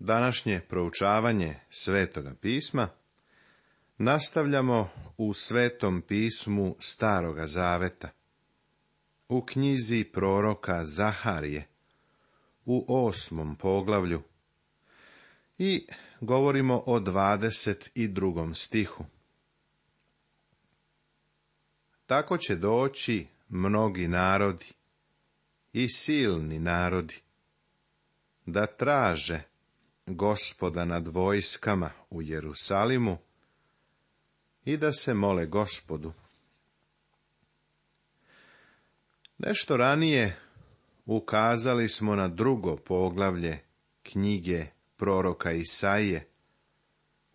Današnje proučavanje Svetoga pisma nastavljamo u Svetom pismu Staroga Zaveta, u knjizi proroka Zaharije, u 8. poglavlju, i govorimo o 22. stihu. Tako će doći mnogi narodi i silni narodi da traže Gospoda nad vojskama u Jerusalimu i da se mole Gospodu. Nešto ranije ukazali smo na 2. poglavlje knjige proroka Isaije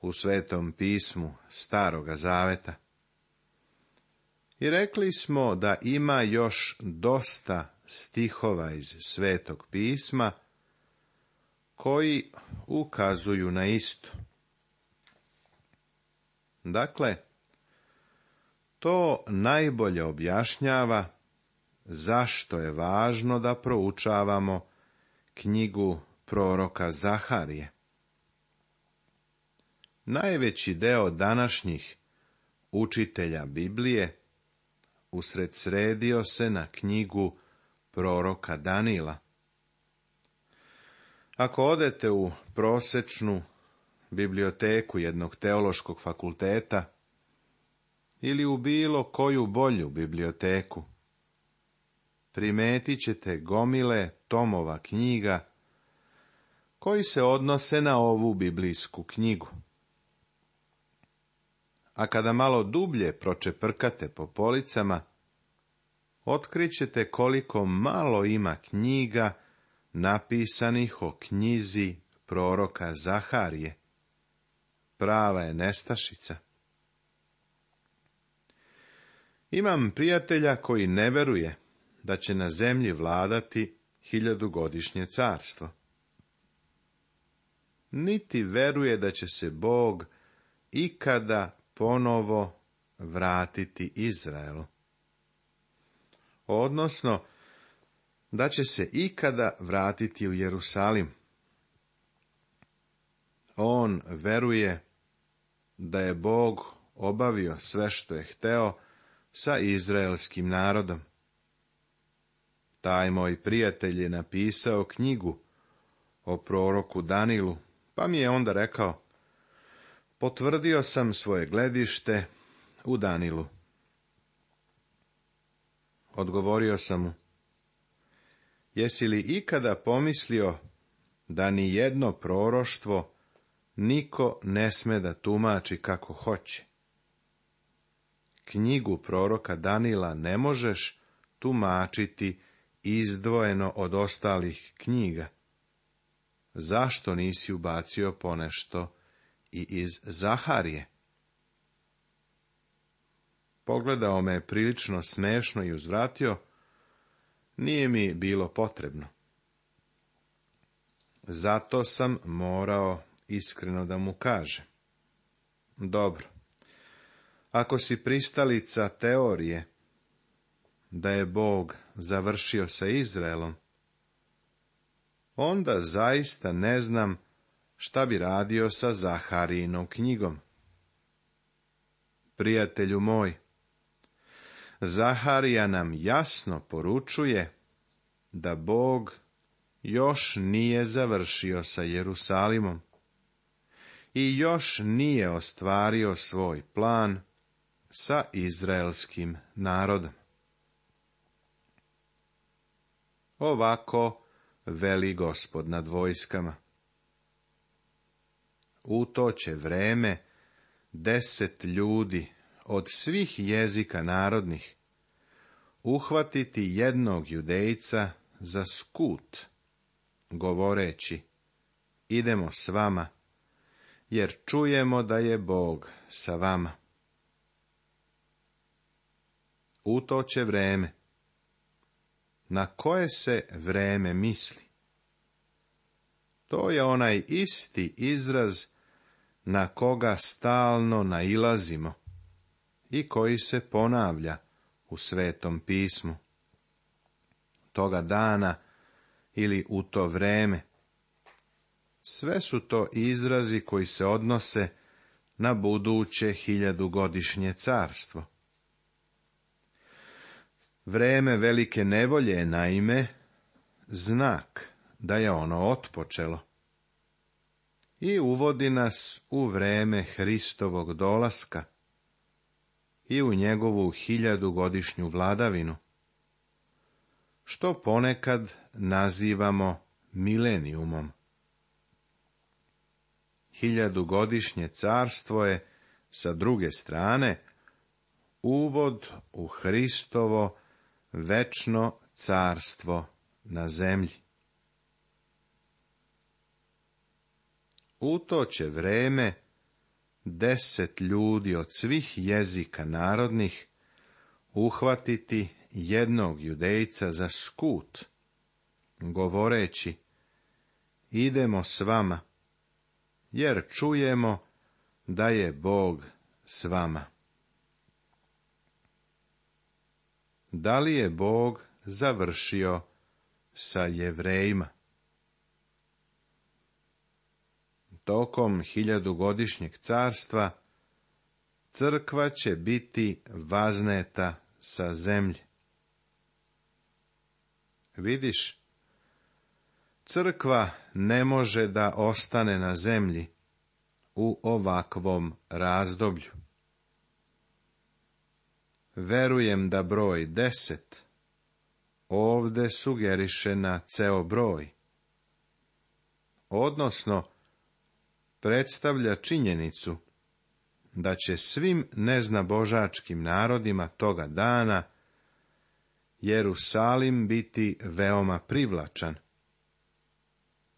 u Svetom pismu Staroga Zaveta. I rekli smo da ima još dosta stihova iz Svetog pisma koji ukazuju na isto. Dakle, to najbolje objašnjava zašto je važno da proučavamo knjigu proroka Zaharije. Najveći deo današnjih učitelja Biblije usredsredio se na knjigu proroka Danila. Ako odete u prosečnu biblioteku jednog teološkog fakulteta ili u bilo koju bolju biblioteku, primetit ćete gomile tomova knjiga koji se odnose na ovu biblijsku knjigu. A kada malo dublje pročeprkate po policama, otkrićete koliko malo ima knjiga napisanih o knjizi proroka Zaharije. Prava je nestašica. Imam prijatelja koji ne veruje da će na zemlji vladati 1000-godišnje carstvo. Niti veruje da će se Bog ikada ponovo vratiti Izraelu. Odnosno, da će se ikada vratiti u Jerusalim. On veruje da je Bog obavio sve što je hteo sa izraelskim narodom. Taj moj prijatelj je napisao knjigu o proroku Danilu, pa mi je onda rekao: potvrdio sam svoje gledište u Danilu. Odgovorio sam mu: jesi li ikada pomislio da ni jedno proroštvo niko ne sme da tumači kako hoće? Knjigu proroka Danila ne možeš tumačiti izdvojeno od ostalih knjiga. Zašto nisi ubacio ponešto i iz Zaharije? Pogledao me prilično smešno i uzvratio: nije mi bilo potrebno. Zato sam morao iskreno da mu kažem: dobro, ako si pristalica teorije da je Bog završio sa Izraelom, onda zaista ne znam šta bi radio sa Zaharijinom knjigom. Prijatelju moj, Zaharija nam jasno poručuje da Bog još nije završio sa Jerusalimom i još nije ostvario svoj plan sa izraelskim narodom. Ovako veli Gospod nad vojskama: u to će vreme 10 ljudi od svih jezika narodnih uhvatiti jednog Judejca za skut, govoreći: idemo s vama, jer čujemo da je Bog sa vama. U to će vreme. Na koje se vreme misli? To je onaj isti izraz na koga stalno nailazimo i koji se ponavlja u Svetom pismu. Toga dana ili u to vreme. Sve su to izrazi koji se odnose na buduće 1000-godišnje carstvo. Vreme velike nevolje je naime znak da je ono otpočelo i uvodi nas u vreme Hristovog dolaska i u njegovu 1000-godišnju vladavinu, što ponekad nazivamo milenijumom. 1000-godišnje carstvo je, sa druge strane, uvod u Hristovo večno carstvo na zemlji. U to će vreme 10 ljudi od svih jezika narodnih uhvatiti jednog judejca za skut, govoreći: idemo s vama, jer čujemo da je Bog s vama. Da li je Bog završio sa Jevrejima? Tokom 1000-godišnjeg carstva crkva će biti vazneta sa zemlje. Vidiš, crkva ne može da ostane na zemlji u ovakvom razdoblju. Verujem da broj 10 ovde sugeriše na ceo broj, odnosno predstavlja činjenicu da će svim neznabožačkim narodima toga dana Jerusalim biti veoma privlačan,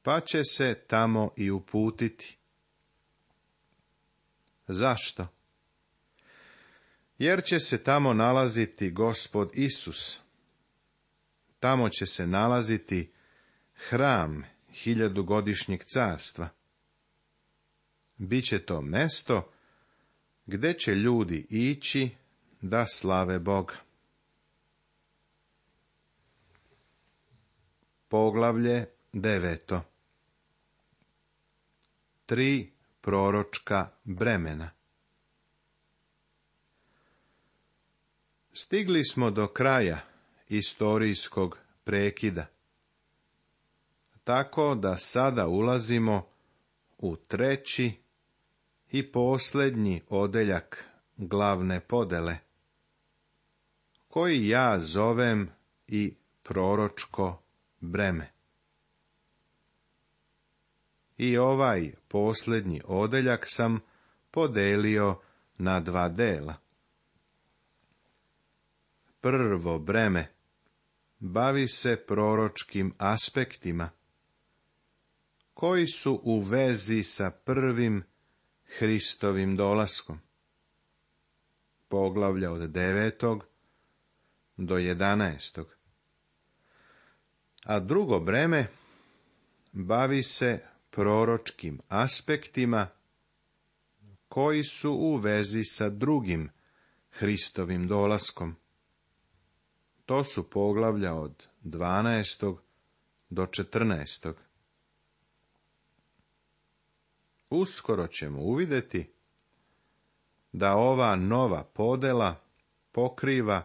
pa će se tamo i uputiti. Zašto? Jer će se tamo nalaziti Gospod Isus. Tamo će se nalaziti hram 1000-godišnjeg carstva. Biće to mesto gde će ljudi ići da slave Boga. Poglavlje 9. 3 proročka bremena. Stigli smo do kraja istorijskog prekida, tako da sada ulazimo u 3. i posljednji odeljak glavne podele, koji ja zovem i proročko breme. I ovaj posljednji odeljak sam podelio na 2 dela. Prvo breme bavi se proročkim aspektima, koji su u vezi sa prvim Hristovim dolaskom. Poglavlja od 9. do 11. A drugo breme bavi se proročkim aspektima koji su u vezi sa drugim Hristovim dolaskom. To su poglavlja od 12. do 14. Uskoro ćemo uvidjeti da ova nova podela pokriva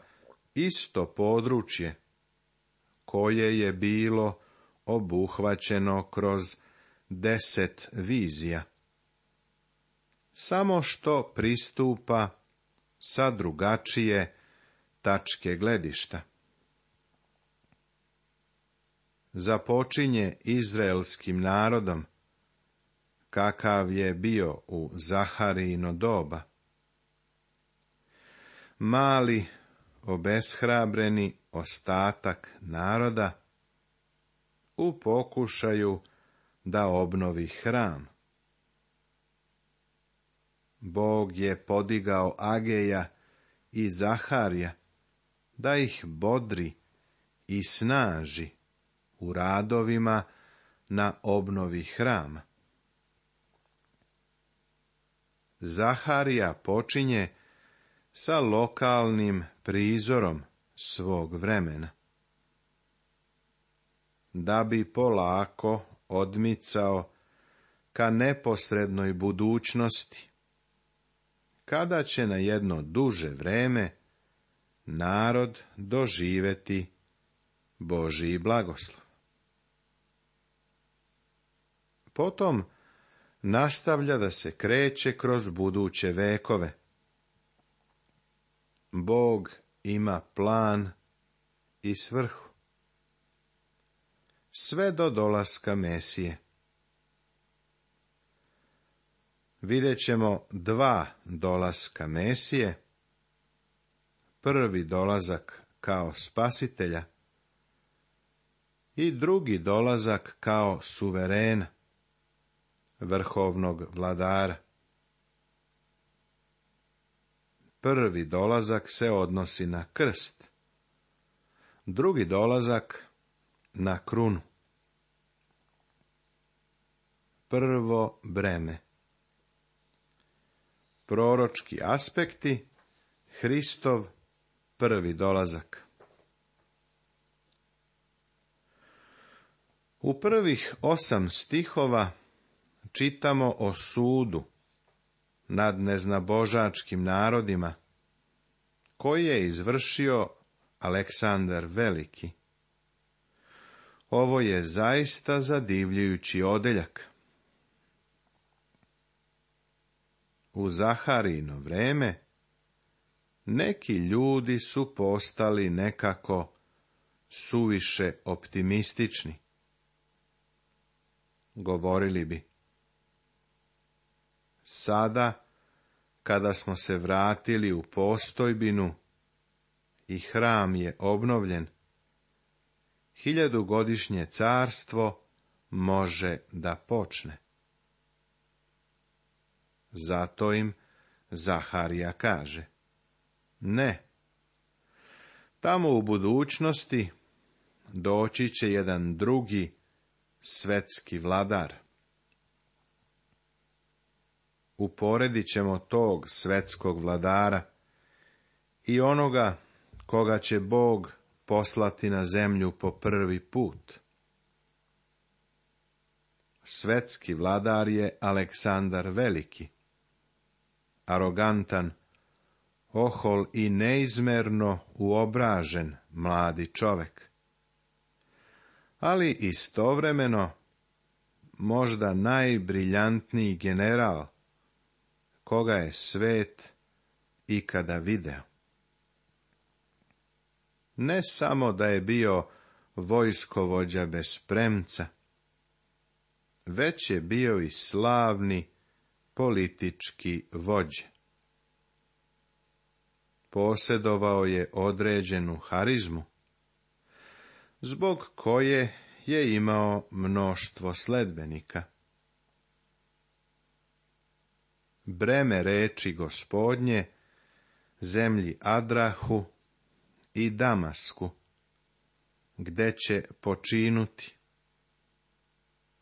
isto područje koje je bilo obuhvaćeno kroz 10 vizija, samo što pristupa sa drugačije tačke gledišta. Započinje izraelskim narodom, kakav je bio u Zaharijino doba. Mali, obeshrabreni ostatak naroda u pokušaju da obnovi hram. Bog je podigao Ageja i Zaharija da ih bodri i snaži u radovima na obnovi hrama. Zaharija počinje sa lokalnim prizorom svog vremena, da bi polako odmicao ka neposrednoj budućnosti, kada će na jedno duže vreme narod doživeti Božji blagoslov. Potom nastavlja da se kreće kroz buduće vekove. Bog ima plan i svrhu. Sve do dolaska Mesije. Vidjet ćemo 2 dolaska Mesije. Prvi dolazak kao spasitelja i drugi dolazak kao suverena, vrhovnog vladara. Prvi dolazak se odnosi na krst, drugi dolazak na krunu. Prvo breme. Proročki aspekti, Hristov prvi dolazak. U prvih 8 stihova čitamo o sudu nad neznabožačkim narodima, koji je izvršio Aleksandar Veliki. Ovo je zaista zadivljujući odeljak. U Zaharijino vreme neki ljudi su postali nekako suviše optimistični. Govorili bi: sada, kada smo se vratili u postojbinu i hram je obnovljen, 1000-godišnje carstvo može da počne. Zato im Zaharija kaže: ne, tamo u budućnosti doći će jedan drugi svetski vladar. Uporedit ćemo tog svetskog vladara i onoga koga će Bog poslati na zemlju po prvi put. Svetski vladar je Aleksandar Veliki, arogantan, ohol i neizmerno uobražen mladi čovek, ali istovremeno možda najbriljantniji general koga je svet ikada video. Ne samo da je bio vojskovođa bez premca, već je bio i slavni politički vođa. Posjedovao je određenu harizmu, zbog koje je imao mnoštvo sledbenika. Breme reči Gospodnje zemlji Adrahu i Damasku, gde će počinuti,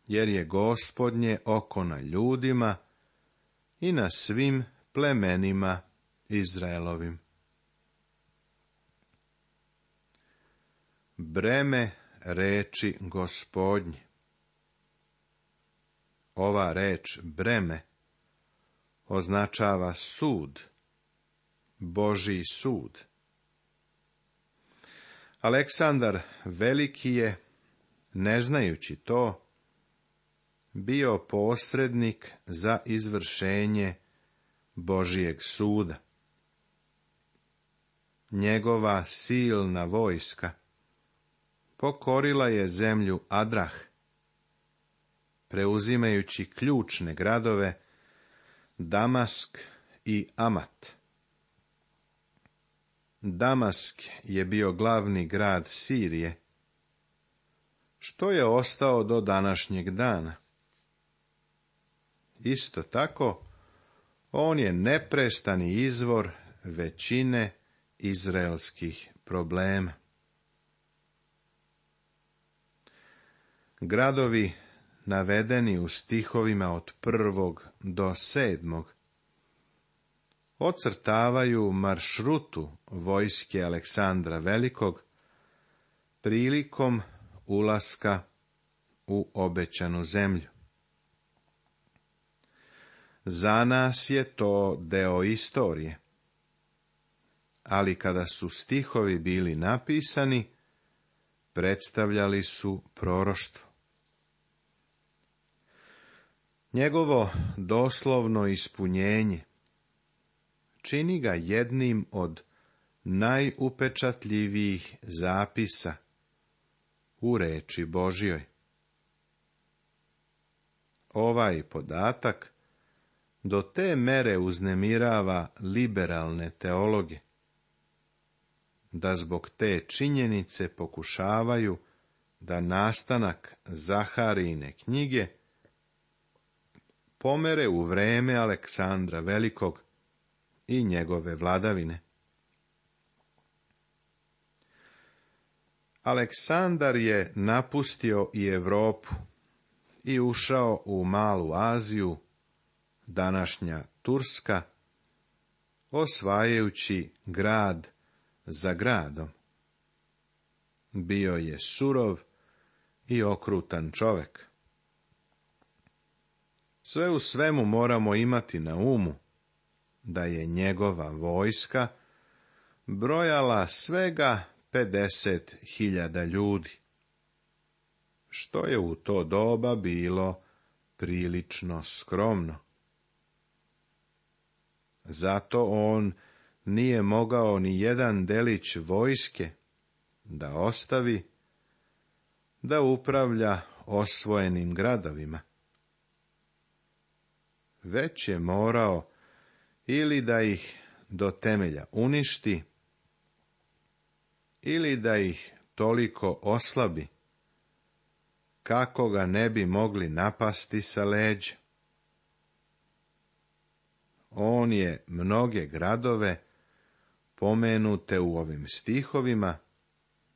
jer je Gospodnje oko na ljudima i na svim plemenima Izraelovim. Breme reči Gospodnje. Ova reč breme označava sud, Božji sud. Aleksandar Veliki je, ne znajući to, bio posrednik za izvršenje Božijeg suda. Njegova silna vojska pokorila je zemlju Adrah, preuzimajući ključne gradove Damask i Amat. Damask je bio glavni grad Sirije, što je ostao do današnjeg dana. Isto tako, on je neprestani izvor većine izraelskih problema. Gradovi navedeni u stihovima od 1. do 7. ocrtavaju maršrutu vojske Aleksandra Velikog prilikom ulaska u obećanu zemlju. Za nas je to deo istorije. Ali kada su stihovi bili napisani, predstavljali su proroštvo. Njegovo doslovno ispunjenje čini ga jednim od najupečatljivijih zapisa u reči Božjoj. Ovaj podatak do te mere uznemirava liberalne teologe, da zbog te činjenice pokušavaju da nastanak Zaharijine knjige pomere u vreme Aleksandra Velikog i njegove vladavine. Aleksandar je napustio i Europu i ušao u Malu Aziju, današnja Turska, osvajajući grad za gradom. Bio je surov i okrutan čovjek. Sve u svemu moramo imati na umu da je njegova vojska brojala svega 50.000 ljudi, što je u to doba bilo prilično skromno. Zato on nije mogao ni jedan delić vojske da ostavi da upravlja osvojenim gradovima. Već je morao ili da ih do temelja uništi, ili da ih toliko oslabi, kako ga ne bi mogli napasti sa leđa. On je mnoge gradove, pomenute u ovim stihovima,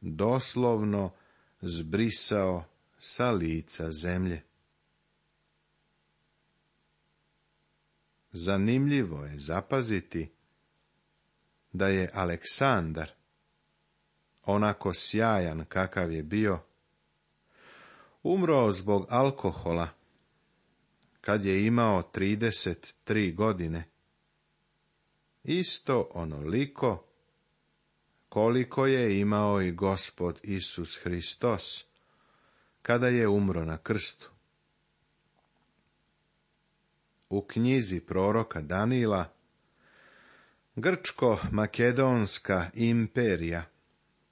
doslovno zbrisao sa lica zemlje. Zanimljivo je zapaziti da je Aleksandar, onako sjajan kakav je bio, umro zbog alkohola kad je imao 33 godine, isto onoliko koliko je imao i Gospod Isus Hristos kada je umro na krstu. U knjizi proroka Danila, Grčko-makedonska imperija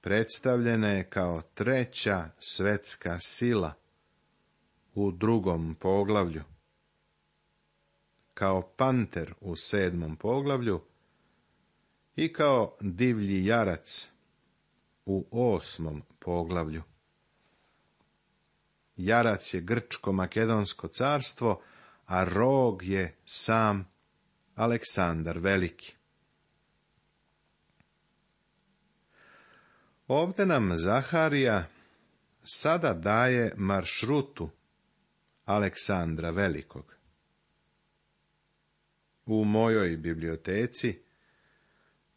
predstavljena je kao treća svetska sila u 2. poglavlju, kao panter u 7. poglavlju i kao divlji jarac u 8. poglavlju. Jarac je Grčko-makedonsko carstvo, a rog je sam Aleksandar Veliki. Ovdje nam Zaharija sada daje maršrutu Aleksandra Velikog. U mojoj biblioteci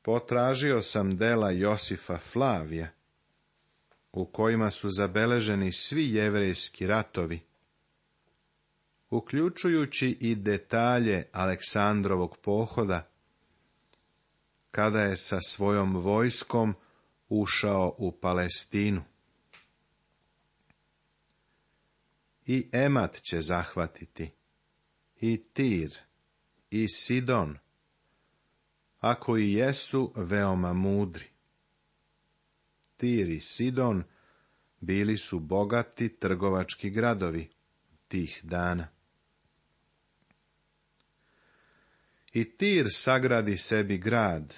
potražio sam dela Josifa Flavija, u kojima su zabeleženi svi jevrejski ratovi, uključujući i detalje Aleksandrovog pohoda, kada je sa svojom vojskom ušao u Palestinu. I Emat će zahvatiti, i Tir, i Sidon, ako i jesu veoma mudri. Tir i Sidon bili su bogati trgovački gradovi tih dana. I Tir sagradi sebi grad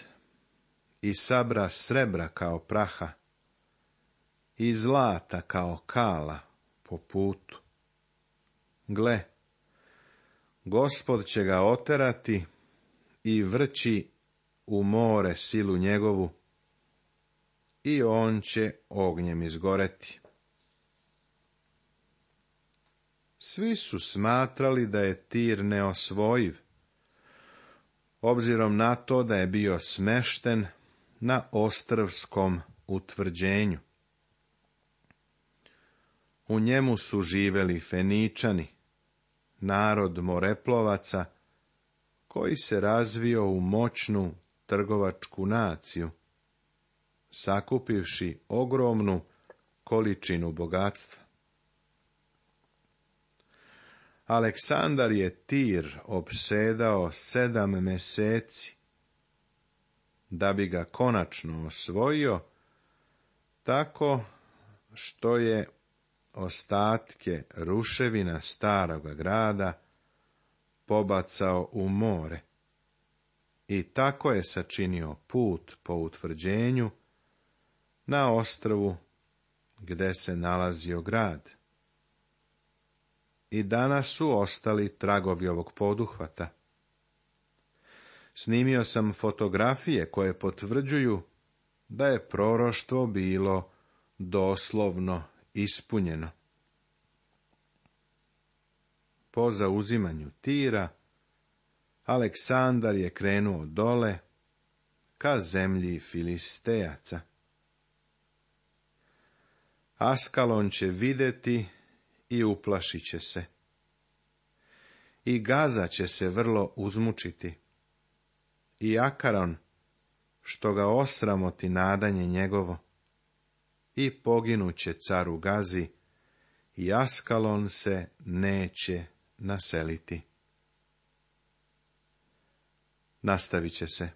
i sabra srebra kao praha i zlata kao kala po putu. Gle, Gospod će ga oterati i vrći u more silu njegovu i on će ognjem izgoreti. Svi su smatrali da je Tir neosvojiv, obzirom na to da je bio smešten na ostrvskom utvrđenju. U njemu su živeli Feničani, narod moreplovaca koji se razvio u moćnu trgovačku naciju, sakupivši ogromnu količinu bogatstva. Aleksandar je Tir opsedao 7 meseci, da bi ga konačno osvojio, tako što je ostatke ruševina staroga grada pobacao u more i tako je sačinio put po utvrđenju na ostrvu gde se nalazio grad. I danas su ostali tragovi ovog poduhvata. Snimio sam fotografije koje potvrđuju da je proroštvo bilo doslovno ispunjeno. Po zauzimanju Tira, Aleksandar je krenuo dole ka zemlji Filistejaca. Askalon će vidjeti i uplašit će se. I Gaza će se vrlo uzmučiti. I Akaron, što ga osramoti nadanje njegovo. I poginuće caru Gazi, i Askalon se neće naseliti. Nastavit će se.